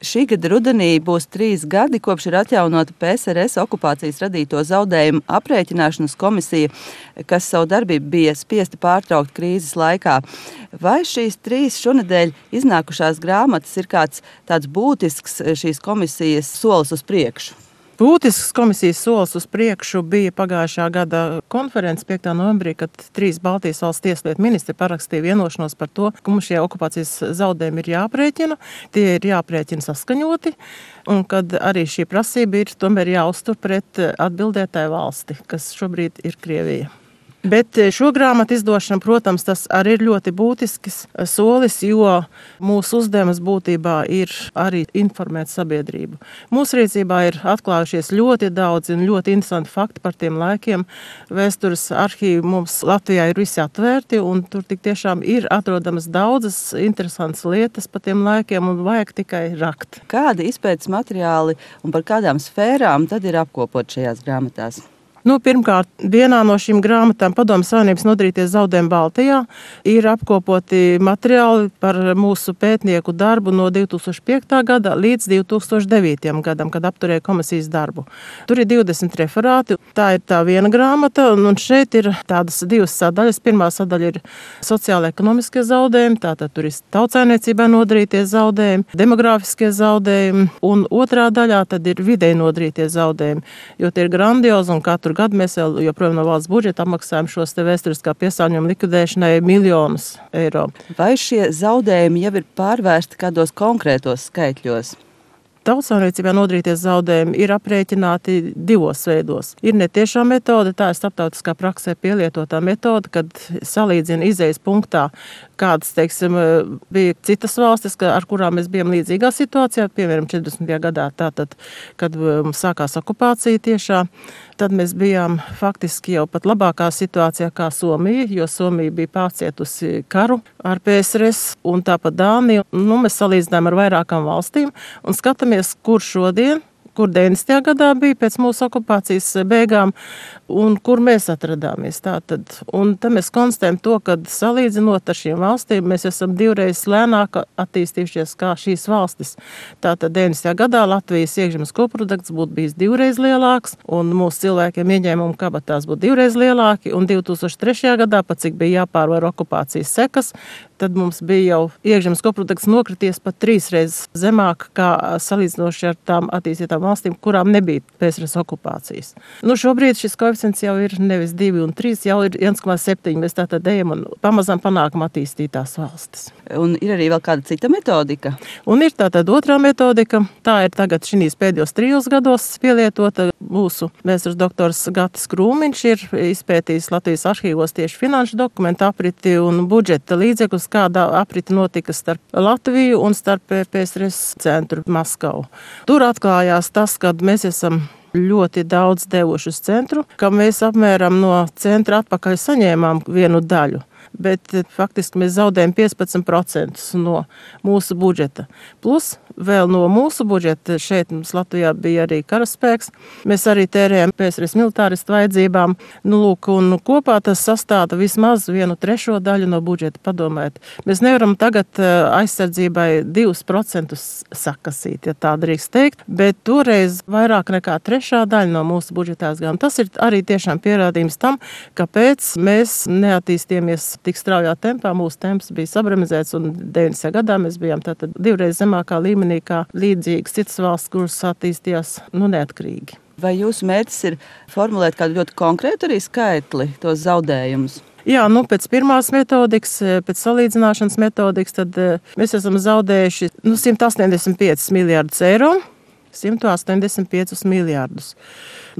Šī gada rudenī būs 3 gadi, kopš ir atjaunota PSRS okupācijas radīto zaudējumu aprēķināšanas komisija, kas savu darbību bija spiesta pārtraukt krīzes laikā. Vai šīs 3 šonedēļ iznākušās grāmatas ir kāds tāds būtisks šīs komisijas solis uz priekšu? Būtisks komisijas solis uz priekšu bija pagājušā gada konferences 5. novembrī, kad 3 Baltijas valsts tieslietu ministri parakstīja vienošanos par to, ka mums šie okupācijas zaudējumi ir jāprēķina, tie ir jāprēķina saskaņoti, un kad arī šī prasība ir tomēr jāuztur pret atbildētāju valsti, kas šobrīd ir Krievija. Bet šo grāmatu izdošana, protams, tas arī ir ļoti būtisks solis, jo mūsu uzdevums būtībā ir arī informēt sabiedrību. Mūsu rīcībā ir atklājušies ļoti daudz un ļoti interesanti fakti par tiem laikiem. Vēstures arhīvi mums Latvijā ir visi atvērti, un tur tik tiešām ir atrodamas daudzas interesantas lietas par tiem laikiem, un vajag tikai rakt. Kādi izpētes materiāli un par kādām sfērām tad ir apkopot šajās grāmatās? Pirmkārt, vienā no šīm grāmatām Padomju Savienības nodarītie zaudējumi Baltijā ir apkopoti materiāli par mūsu pētnieku darbu no 2005. gada līdz 2009. gadam, kad apturēja komisijas darbu. Tur ir 20 referāti. Tā ir tā viena grāmata, un šeit ir tādas 2 sadaļas. Pirmā sadaļa ir sociāla-ekonomiskie zaudējumi, tātad tur ir tautsaimniecībā nodarītie zaudējumi, demogrāfiskie zaudējumi, un otrā daļā tad ir vidēji nodarītie zaudējumi, jo tie ir grandiozi un katru gadu mēs vēl joprojām no valsts budžeta apmaksājam šos te vēsturiskā piesārņojuma likvidēšanai miljonus eiro. Vai šie zaudējumi jau ir pārvērsti kādos konkrētos skaitļos? Tautsaimniecībā nodarītie zaudējumi ir aprēķināti 2 veidos. Ir netiešā metode, tā ir starptautiskā praksē pielietotā metode, kad salīdzina izejas punktā, kādas, teiksim, bija citas valstis, ar kurām mēs bijām līdzīgā situācijā, piemēram, 40. gadā, tātad, kad sākās okupācija tiešā, tad mēs bijām faktiski jau pat labākā situācijā kā Somija, jo Somija bija pārcietusi karu ar PSRS un tāpat Dānija. Mēs salīdzinājām ar vairākām valstīm un skatāmies, kur šodien, kur 90. gadā bija pēc mūsu okupācijas beigām un kur mēs atradāmies. Tātad. Un tad mēs konstatējam to, ka salīdzinot ar šīm valstīm, mēs esam 2 reizes lēnāk attīstījušies kā šīs valstis. Tātad 90. gadā Latvijas iekšzemes koprodukts būtu bijis 2 reizes lielāks, un mūsu cilvēkiem ieņēmumu kabatās būtu 2 reizes lielāki, un 2003. gadā, pat cik bija jāpārvar okupācijas sekas, tad mums bija jau iekšzemes koprodukts nokrities pat 3 reizes zemāk kā salīdzinoši ar tām attīstītām valstīm, kurām nebija PSRS okupācijas. Šobrīd šis koeficients jau ir nevis 2 un 3, jau ir 1,7. Mēs tātad ejam un pamazām panākam attīstītās valstis. Un ir arī vēl kāda cita metodika? Un ir tātad otrā metodika. Tā ir tagad šīs pēdējos 3 gados pielietota. Mūsu vēstures doktors Gatis Krūmiņš ir izpētījis Latvijas arhīvos tieši finanšu dokumentu apriti un budžeta līdzekļus, kādā apriti notika starp Latviju un starp PSRS centru Maskavu. Tur atklājās tas, ka mēs esam ļoti daudz devuši uz centru, ka mēs apmēram no centra atpakaļ saņēmām 1 daļu. Bet faktiski mēs zaudējam 15% no mūsu budžeta. Plus vēl no mūsu budžeta, šeit mums Latvijā bija arī karaspēks, mēs arī tērējam PSRS militāristu vajadzībām. Un kopā tas sastāda vismaz 1/3 daļu no budžeta, padomājiet. Mēs nevaram tagad aizsardzībai 2% sakasīt, ja tā drīkst teikt, bet toreiz vairāk nekā 1/3 daļa no mūsu budžeta aizgāja. Tas ir arī tiešām pierādījums tam, kāpēc mēs neattīstījāmies tik straujā tempā. Mūsu temps bija sabramizēts, un 90. gadā mēs bijām tātad 2 reizes zemākā līmenī kā līdzīgas citas valsts, kuras attīstījās neatkarīgi. Vai jūsu mērķis ir formulēt kādu ļoti konkrētu arī skaitli, tos zaudējumus? Jā, pēc pirmās metodikas, pēc salīdzināšanas metodikas, tad mēs esam zaudējuši 185 miljārdus eiro. 185 miljārdus.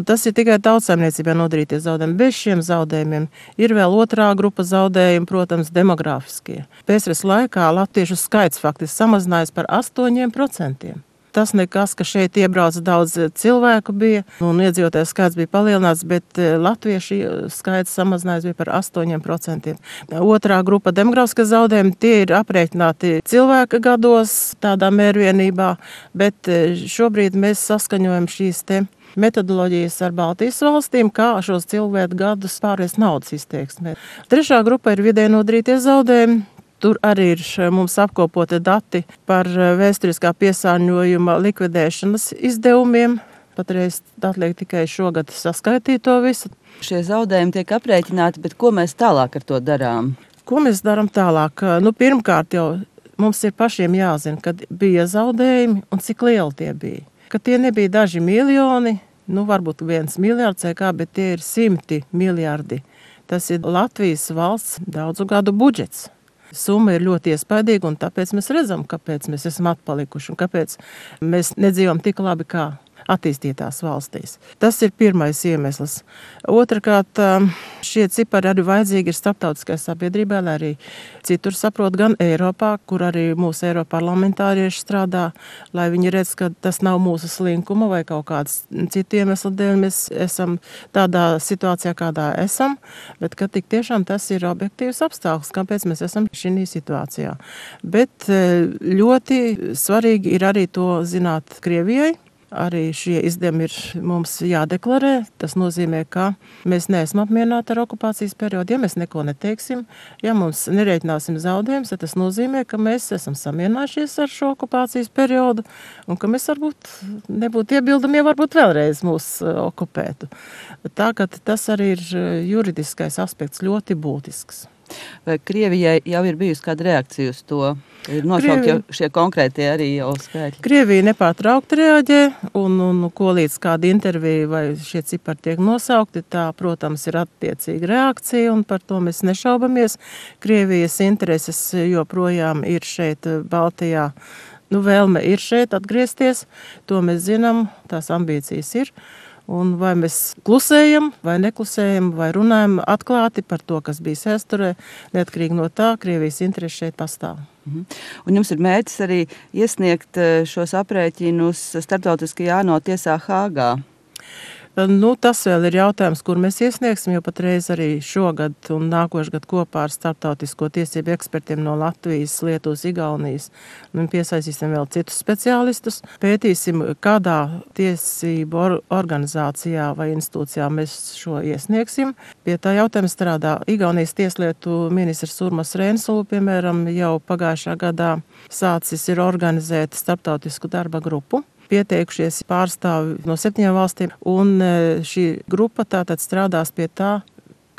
Tas ir tikai tautsaimniecībā nodarītie zaudējumi. Bez šiem zaudējumiem ir vēl otrā grupa zaudējumi, protams, demogrāfiskie. PSRS laikā latviešu skaits faktiski samazinājās par 8%. Tas nekas, ka šeit iebrauc daudz cilvēku bija un iedzīvotāju skaits bija palielināts, bet latviešu skaits samazinājās bija par 8%. Otrā grupa demogrāfiskie zaudējumi, tie ir aprēķināti cilvēka gados tādā mērvienībā, bet šobrīd mēs saskaņojam šīs te metodoloģijas ar Baltijas valstīm, kā šos cilvēku gadus pārējais naudas izteiksmē. Trešā grupa ir vidēji nodarītie zaudējumi. Tur arī ir mums apkopoti dati par vēsturiskā piesārņojuma likvidēšanas izdevumiem. Patreiz atliek tikai šogad saskaitīt to visu. Šie zaudējumi tiek aprēķināti, bet ko mēs tālāk ar to darām? Ko mēs darām tālāk? Pirmkārt jau mums ir pašiem jāzina, kad bija zaudējumi un cik lieli tie bija. Ka tie nebija daži miljoni, varbūt 1 miljards vai kā, bet tie ir 100 miljardi. Tas ir Latvijas valsts daudzu gadu budžets. Summa ir ļoti iespaidīga, un tāpēc mēs redzam, kāpēc mēs esam atpalikuši un kāpēc mēs nedzīvojam tik labi kā attīstītās valstīs. Tas ir pirmais iemesls. Otrakārt, šie cipari arī vajadzīgi ir starptautiskai sabiedrībai, lai arī citur saprot, gan Eiropā, kur arī mūsu eiroparlamentārieši strādā, lai viņi redz, ka tas nav mūsu slinkuma vai kaut kāds citu iemeslu dēļ mēs esam tādā situācijā, kādā esam, bet ka tik tiešām tas ir objektīvs apstākļus, kāpēc mēs esam šī situācijā. Bet ļoti svarīgi ir arī to zināt Krievijai. Arī šie izdevumi ir mums jādeklarē. Tas nozīmē, ka mēs neesam apmierināti ar okupācijas periodu. Ja mēs neko neteiksim, ja mums nerēķināsim zaudējumus, tad tas nozīmē, ka mēs esam samierinājušies ar šo okupācijas periodu un ka mēs varbūt nebūtu iebildumi, ja varbūt vēlreiz mūs okupētu. Tā, ka tas arī ir juridiskais aspekts ļoti būtisks. Vai Krievijai jau ir bijusi kāda reakcija uz to? Ir nosaukt jau šie konkrētie arī jau skaitļi. Krievija nepārtraukti reaģē, un ko līdz kāda intervija vai šie cipari tiek nosaukti, tā, protams, ir attiecīga reakcija, un par to mēs nešaubamies. Krievijas intereses joprojām ir šeit Baltijā. Vēlme ir šeit atgriezties, to mēs zinām, tās ambīcijas ir. Un vai mēs klusējam, vai neklusējam, vai runājam atklāti par to, kas bija vēsturē, neatkarīgi no tā, Krievijas interesi šeit pastāv. Un jums ir mērķis arī iesniegt šos aprēķinus starptautiskajā ANO tiesā Hāgā. Tas vēl ir jautājums, kur mēs iesniegsim, jo patreiz arī šogad un nākošgad kopā ar starptautisko tiesību ekspertiem no Latvijas, Lietuvas, Igaunijas piesaistīsim vēl citus speciālistus. Pētīsim, kādā tiesību organizācijā vai institūcijā mēs šo iesniegsim. Pie tā jautājuma strādā Igaunijas tieslietu ministrs Urmas Reinsalu, piemēram, jau pagājušā gadā sācis ir organizēt starptautisku darba grupu. Pieteikušies pārstāvi no 7 valstīm, un šī grupa tātad strādās pie tā,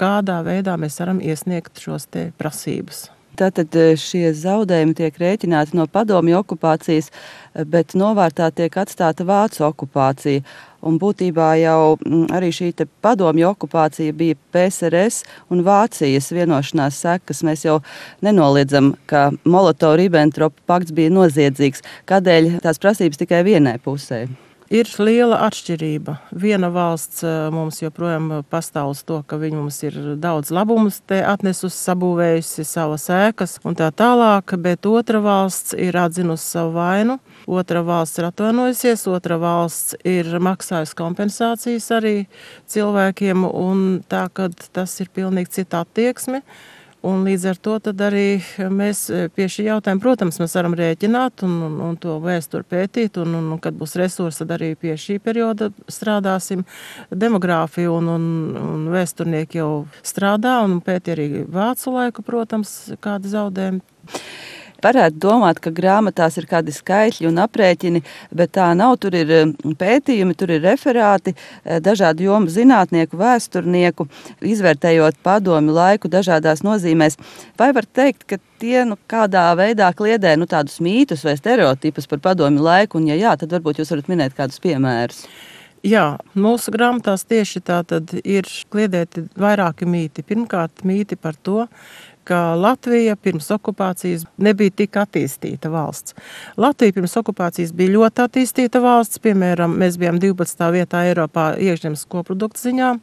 kādā veidā mēs varam iesniegt šos te prasības. Tātad šie zaudējumi tiek rēķināti no padomju okupācijas, bet novārtā tiek atstāta Vācu okupācija. Un būtībā jau arī šī padomju okupācija bija PSRS un Vācijas vienošanās sekas. Mēs jau nenoliedzam, ka Molotov-Ribbentrop pakts bija noziedzīgs. Kādēļ tās prasības tikai vienai pusē? Ir liela atšķirība. Viena valsts mums joprojām pastāv uz to, ka viņi mums ir daudz labumus te atnesusi, sabūvējusi savas ēkas un tā tālāk, bet otra valsts ir atzinusi savu vainu. Otra valsts ir atvainojusies, otra valsts ir maksājusi kompensācijas arī cilvēkiem, un tā, kad tas ir pilnīgi cita attieksme. Un līdz ar to tad arī mēs pie šī jautājuma, protams, mēs varam rēķināt un to vēsturi pētīt, un kad būs resursi, tad arī pie šī perioda strādāsim. Demogrāfija un vēsturnieki jau strādā un pēti arī vācu laiku, protams, kādi zaudējumi. Varētu domāt, ka grāmatās ir kādi skaitļi un aprēķini, bet tā nav. Tur ir pētījumi, tur ir referāti, dažādu jomu zinātnieku, vēsturnieku, izvērtējot padomju laiku dažādās nozīmēs. Vai var teikt, ka tie kādā veidā kliedē tādus mītus vai stereotipus par padomju laiku, un ja jā, tad varbūt jūs varat minēt kādus piemērus? Jā, mūsu grāmatās tieši tā tad ir kliedēti vairāki mīti. Pirmkārt, mīti par to, ka Latvija pirms okupācijas nebija tik attīstīta valsts. Latvija pirms okupācijas bija ļoti attīstīta valsts. Piemēram, mēs bijām 12. vietā Eiropā iekšzemes koprodukta ziņā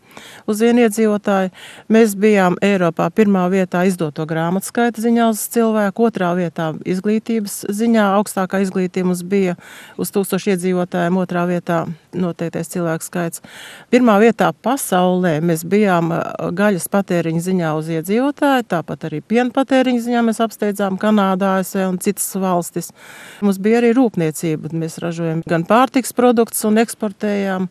uz vienu iedzīvotāju. Mēs bijām Eiropā 1. vietā izdoto grāmatu skaita ziņā uz cilvēku, 2. vietā izglītības ziņā. Augstākā izglītība mums bija uz 1000 iedzīvotājiem, 2. vietā noteiktais cilvēku skaits. 1. vietā pasaulē mēs bijām gaļas patēriņa ziņā uz iedzīvotāju, tāpat arī arī piena patēriņa ziņā mēs apsteidzām Kanādā, ASV un citas valstis. Mums bija arī rūpniecība. Mēs ražojam gan pārtiks produktus un eksportējām,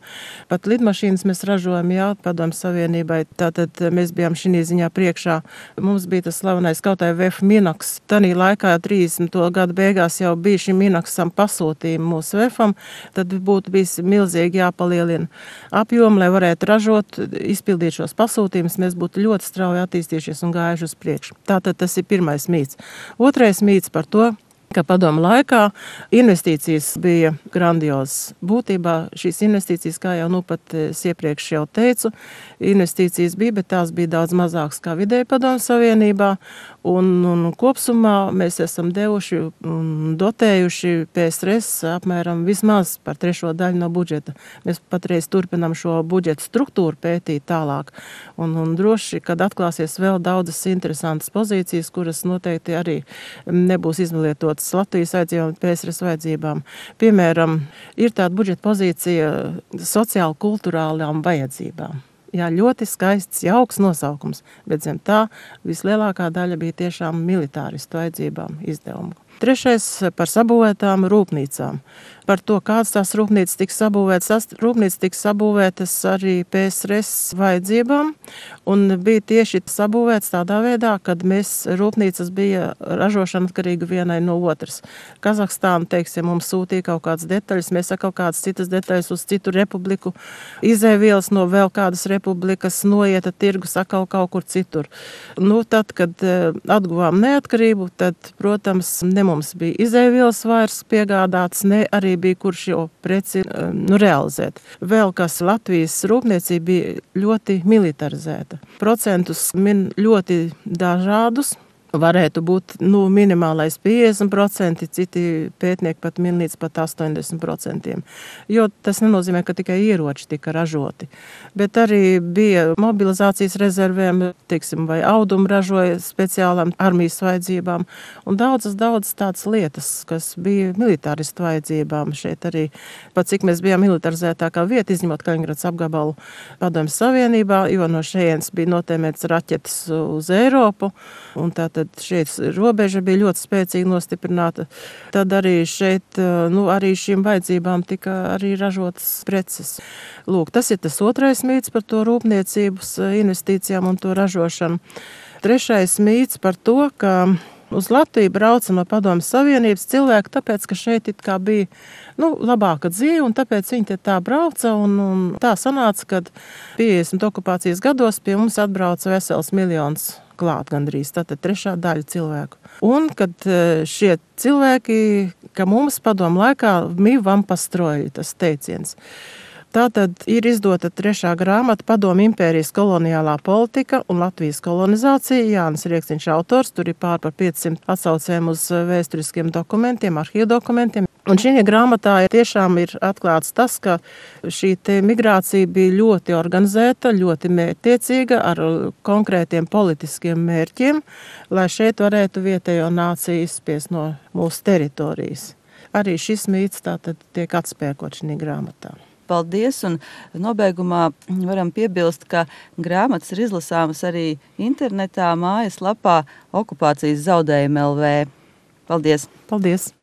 pat lidmašīnas mēs ražojam, jā, Padomju Savienībai. Tātad mēs bijām šī ziņā priekšā. Mums bija tas slavenais kautai VF Minox. Tanī laikā 30. gadu beigās jau bija šim Minoxam pasūtījumi mūsu VFam, tad būtu bijis milzīgi jāpalielina apjomu, lai varētu ražot, izpildīt šos pasūtījumus, mēs būtu ļoti strauji attīstījušies un gājuši uz priekšu. Tātad tas ir pirmais mīts. Otrais mīts par to, ka padomu laikā investīcijas bija grandiozas. Būtībā šīs investīcijas, kā jau pat iepriekš jau teicu, investīcijas bija, bet tās bija daudz mazākas kā vidēji Padomju Savienībā. Un kopsumā mēs esam devuši un dotējuši PSRS apmēram vismaz par 3 daļu no budžeta. Mēs patreiz turpinām šo budžeta struktūru pētīt tālāk. Un droši, kad atklāsies vēl daudzas interesantas pozīcijas, kuras noteikti arī nebūs izlietotas Latvijas vajadzībām, PSRS vajadzībām. Piemēram, ir tāda budžeta pozīcija sociāli-kulturālām vajadzībām. Jā, ļoti skaists, jauks nosaukums, bet zem tā vislielākā daļa bija tiešām militāristu vajadzībām izdevumu. Trešais par sabūvētām rūpnīcām. Par to, kādas tās rūpnīcas tiks sabūvētas. Tās rūpnīcas tiks sabūvētas arī PSRS vajadzībām un bija tieši sabūvētas tādā veidā, kad mēs rūpnīcas bija ražošana atkarīga vienai no otras. Kazahstāna, teiksim, mums sūtīja kaut kādas detaļas, mēs kaut kādas citas detaļas uz citu republiku, izēvielas no vēl kādas republikas noieta tirgus atkal kaut kur citur. Tad, kad atguvām neatkarību, tad, protams, ne mums bija izēvielas vairs piegādāts, ne arī bija kur šo preci realizēt. Vēl kas Latvijas rūpniecība bija ļoti militarizēta. Procentus min ļoti dažādus. Varētu būt minimālais 50%, citi pētnieki pat min līdz pat 80%. Jo tas nenozīmē, ka tikai ieroči tika ražoti. Bet arī bija mobilizācijas rezervēm, teiksim, vai audumu ražoja speciālām armijas vajadzībām. Un daudzas tādas lietas, kas bija militāristu vajadzībām. Šeit arī, pat cik mēs bijām militarizētākā vieta, izņemot Kaliningradas apgabalu Padomju Savienībā, jo no šejienes bija notēmēts raķetes uz Eiropu. Un tātad šeit robeža bija ļoti spēcīgi nostiprināta. Tad arī šeit, arī šīm vajadzībām tika arī ražotas preces. Lūk, tas ir tas otrais mīts par to rūpniecības investīcijām un to ražošanu. Trešais mīts par to, ka uz Latviju brauca no Padomju Savienības cilvēki, tāpēc, ka šeit it kā bija labāka dzīve, un tāpēc viņi tā brauca, un tā sanāca, kad 50 okupācijas gados pie mums atbrauca vesels miljons klāt gandrīz, tātad 3 daļa cilvēku. Un, kad šie cilvēki, ka mums padomu laikā mīvam pastroji, tas teiciens. Tātad ir izdota 3. grāmata Padomju impērijas koloniālā politika un Latvijas kolonizācija. Jānis Rieksniņš autors, tur ir pār par 500 atsaucēm uz vēsturiskiem dokumentiem, arhīvu dokumentiem. Un šī grāmatā tiešām ir atklāts tas, ka šī migrācija bija ļoti organizēta, ļoti mērķtiecīga ar konkrētiem politiskiem mērķiem, lai šeit varētu vietējo nāciju izspiest no mūsu teritorijas. Arī šis mīts tātad tiek atspēkot šī grāmatā. Paldies, un nobeigumā varam piebilst, ka grāmatas ir izlasāmas arī internetā mājaslapā Okupācijas zaudējumi LV. Paldies! Paldies!